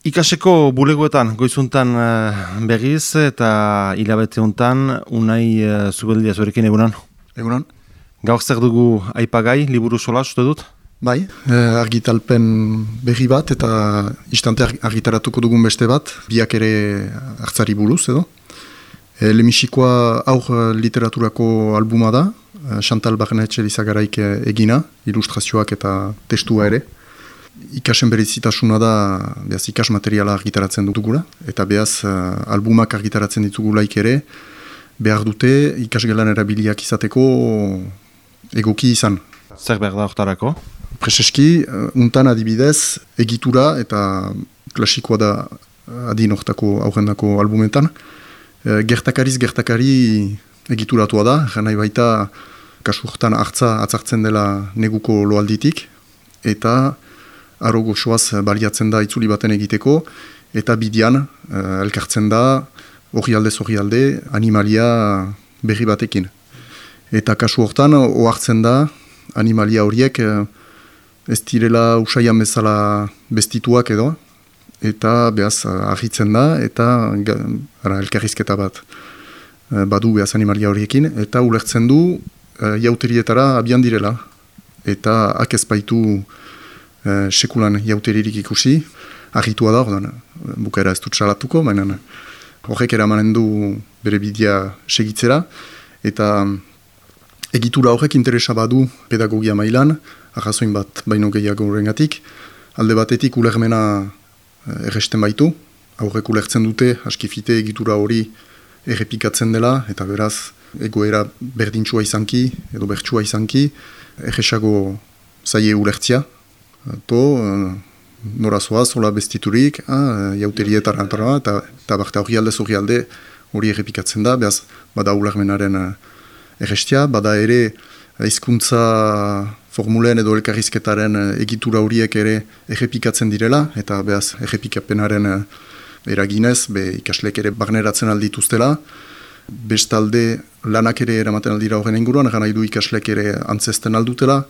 Ikaseko bulegoetan goizuntan berriz eta hilabete hontan Unai Zubeldia zurekin egunan. Egunan. Gaur zer dugu aipagai, liburu sola, uste dut? Bai, argitalpen berri bat eta istante argitaratuko dugun beste bat, biak ere hartzari buruz edo. Lemisikoa aur literaturako albuma da, Chantal Barnetxe Lizagaraik egina, ilustrazioak eta testua ere. Ikasen berezitasuna da, behaz ikas materiala argitaratzen dugula, eta behaz albumak argitaratzen ditugulaik ere, behar dute ikasgelan erabiliak izateko egoki izan. Zer behar da hortarako? Prezeski, untan adibidez, egitura eta klasikoa da adin hortako aurrendako albumetan, gertakariz gertakari egituratua da, nahi baita kasu hortan atzartzen dela neguko loalditik, eta aro goxoaz baliatzen da itzuli baten egiteko, eta bidian elkartzen da orrialde animalia berri batekin. Eta kasu hortan ohartzen da animalia horiek ez direla usaian bezala bestituak edo, eta behaz argitzen da, eta elkarrizketa bat badu behaz animalia horiekin, eta ulertzen du jauterietara abian direla, eta ezpaitu sekulan jauteririk ikusi, argitua da, bukaera ez dut salatuko, baina horrek eramanen du bere bidea segitzera, eta egitura horrek interesa badu pedagogia mailan, arrazoin bat baino gehiago horrengatik, alde batetik ulermena erresten baitu, aurrek ulertzen dute, askifite egitura hori errepikatzen dela, eta beraz egoera berdintxua izanki, edo bertsua izanki, erresago zaie ulertzia, nora zoaz, hola bestiturik, jauterietara eta bakta horrialde hori errepikatzen da, behaz bada ulermenaren errestia, bada ere hizkuntza formulen edo elkarrizketaren egitura horiek ere errepikatzen direla, eta behaz errepikapenaren eraginez, ikaslek ere barneratzen aldituztela, bestalde lanak ere eramaten aldira horren inguruan, nahi du ikaslek ere antzesten aldutela,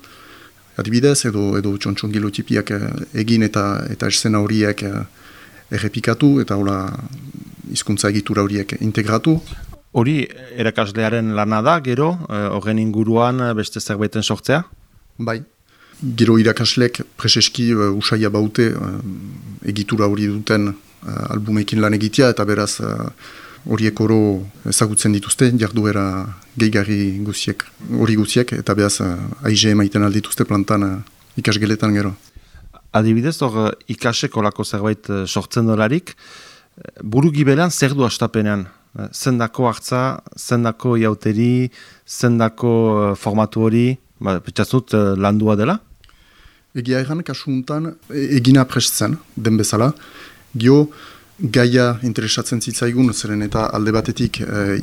adibidez, edo txontxongilo tipiak egin eta esena horiek errepikatu, eta hola hizkuntza egitura horiek integratu. Hori erakaslearen lana da, gero, horren inguruan beste zerbaiten sortzea? Bai. Gero irakaslek preseski usaia baute egitura hori duten albumekin lan egitea, eta beraz horiek oro ezagutzen dituzte, jarduera gehigarri hori guziek, eta beraz aize emaiten aldituzte plantan ikasgeletan gero. Adibidez, hor ikaseko lako zerbait sortzen dolarik, buru gibelan zer du astapenean? Zendako hartza, zendako jauteri, zendako formatu hori, petxatzut landua dela? Egia erran, kasu untan, egina prestzen, den bezala, gio gaia interesatzen zitzaigun, zeren eta alde batetik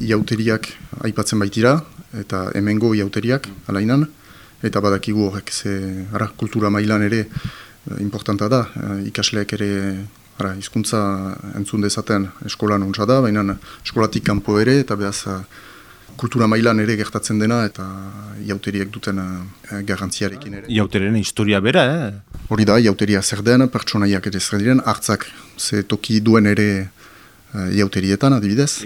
jauteriak aipatzen baitira, eta hemengo jauteriak, alainan, eta badakigu horrek, kultura mailan ere importanta da, ikasleak ere hizkuntza entzun dezaten eskolan ontsa da, baina eskolatik kanpo ere, eta behaz kultura mailan ere gertatzen dena, eta jauteriak duten garrantziarekin ere. Jauteriaren historia bera, Hori da, jauteria zer den, pertsonaiak ere zer diren, hartzak ze toki duen ere jauterietan, adibidez.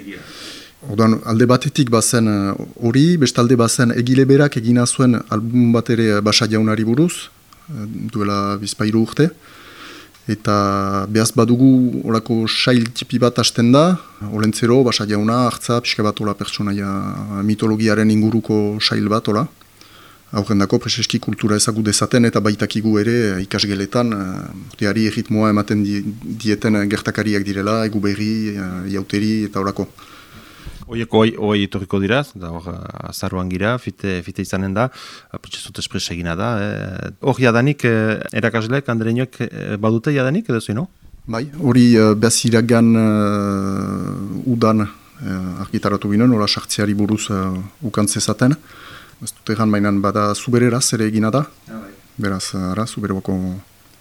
Orduan, alde batetik bazen hori, bestalde bazen egile berak egina zuen album bat ere Basa Jaunari buruz, duela bizpairu urte, eta behaz badugu orako sail tipi bat hasten da, olentzero, Basa Jauna, hartza, pixka bat ola pertsonaia mitologiaren inguruko sail bat, ola. Aurrendako preseski kultura ezagu dezaten eta baitakigu ere ikasgeletan urteari erritmoa ematen dieten gertakariak direla, egu berri, jauteri eta horako. Oieko hoi etorriko dira, da hor azaruan gira, fite izanen da, pitxezut espres egina da. Hor jadanik erakasleek, andereinoek badute jadanik edo zuen, no? Bai, hori behaz iragan udan argitaratu ginen, hori sartzeari buruz ukantzezaten. Ez dut egan mainan bada zubereraz ere egina da, beraz, zuberoko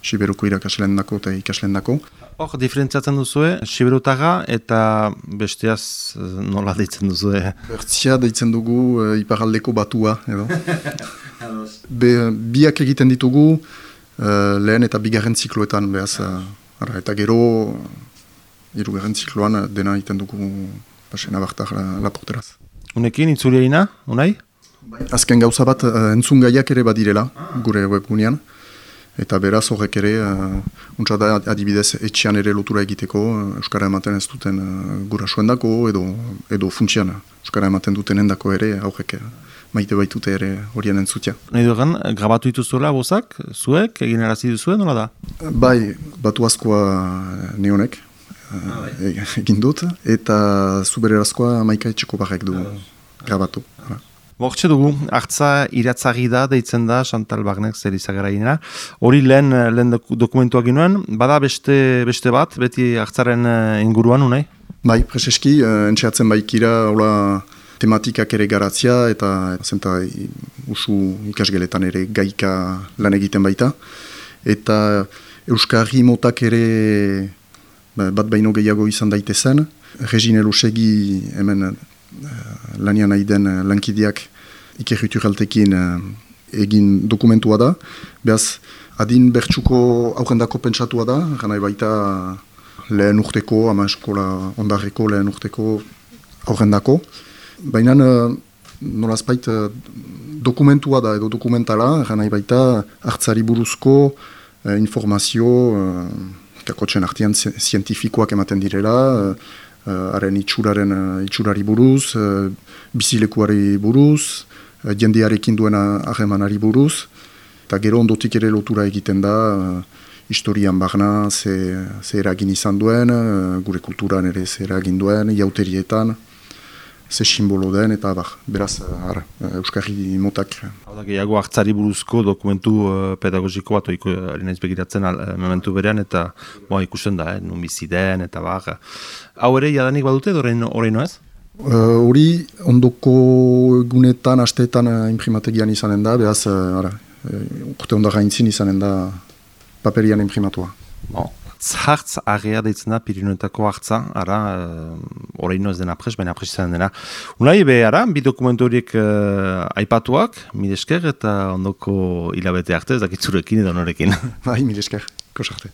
siberuko irakasleen dako eta ikasleen dako. Hor, diferentziatzen duzue, siberutaga eta besteaz nola deitzen duzue? Bertzia deitzen dugu iparaldeko batua, edo. Biak egiten ditugu lehen eta bigarren zikloetan, behaz, Eta gero, hirugarren zikloan dena iten dugu pasena bartak laporteraz. Unekin, itzuliaina, unai? Azken gauza bat entzun gaiak ere badirela, gure webgunean. Eta beraz horrek ere, untsa da adibidez etxean ere lotura egiteko, Euskara ematen ez duten gurasoendako edo funtsian Euskara ematen duten endako ere, aurrek maite baitute ere horien entzutia. Nahi dugan, grabatu dituzuela bozak, zuek, egin erazi duzuen, nola da? Bai, batu askoa neonek egin dut, eta zubererazkoa Maika Etxeko barrek du grabatu. Bortxe dugu, hartza iratzagi da, deitzen da, Chantal Barnek zer izagarainera. Hori lehen dokumentuak ginoen, bada beste bat, beti hartzaren inguruan, unai? Bai, preseski, entxeatzen baikira, hola, tematikak ere garatzia, eta zenta usu ikasgeletan ere gaika lan egiten baita. Eta Euskarri motak ere bat baino gehiago izan daitezen. Regine Lusegi hemen lanian nahi den lankideak ikerrituraltekin egin dokumentua da. Beaz, adin bertsuko aurrendako pentsatua da, gana baita lehen urteko, ama eskola ondarreko lehen urteko aurrendako. Baina nolazpait dokumentua da edo dokumentala, gana baita hartzari buruzko informazio kakotzen artean zientifikoak ematen direla, haren itxurari buruz, bizilekuari buruz, jendearekin duena harremanari buruz, eta gero ondotik ere lotura egiten da, historian barna ze eragin izan duen, gure kulturan ere ze eragin duen, jauterietan, ze simbolo den, eta beraz, Euskarri motak. Hau da, gehiago hartzari buruzko dokumentu pedagogiko bat, harinaiz begiratzen momentu berean, eta ikusten da, nun bizi den, eta Hau ere, jadanik badute, horreino ez? Hori, ondoko egunetan, asteetan imprimategian izanen da, beraz, urte ondara intzin izanen da paperian imprimatua. Hartz agea deitzen da, Pirinioetako hartza, horreino ez dena apres, baina apres izan dena. Unai, bi dokumentu horiek aipatuak, mil esker, eta ondoko hilabete arte, ez dakitzurekin edo norekin. Bai, mil esker, kosarte.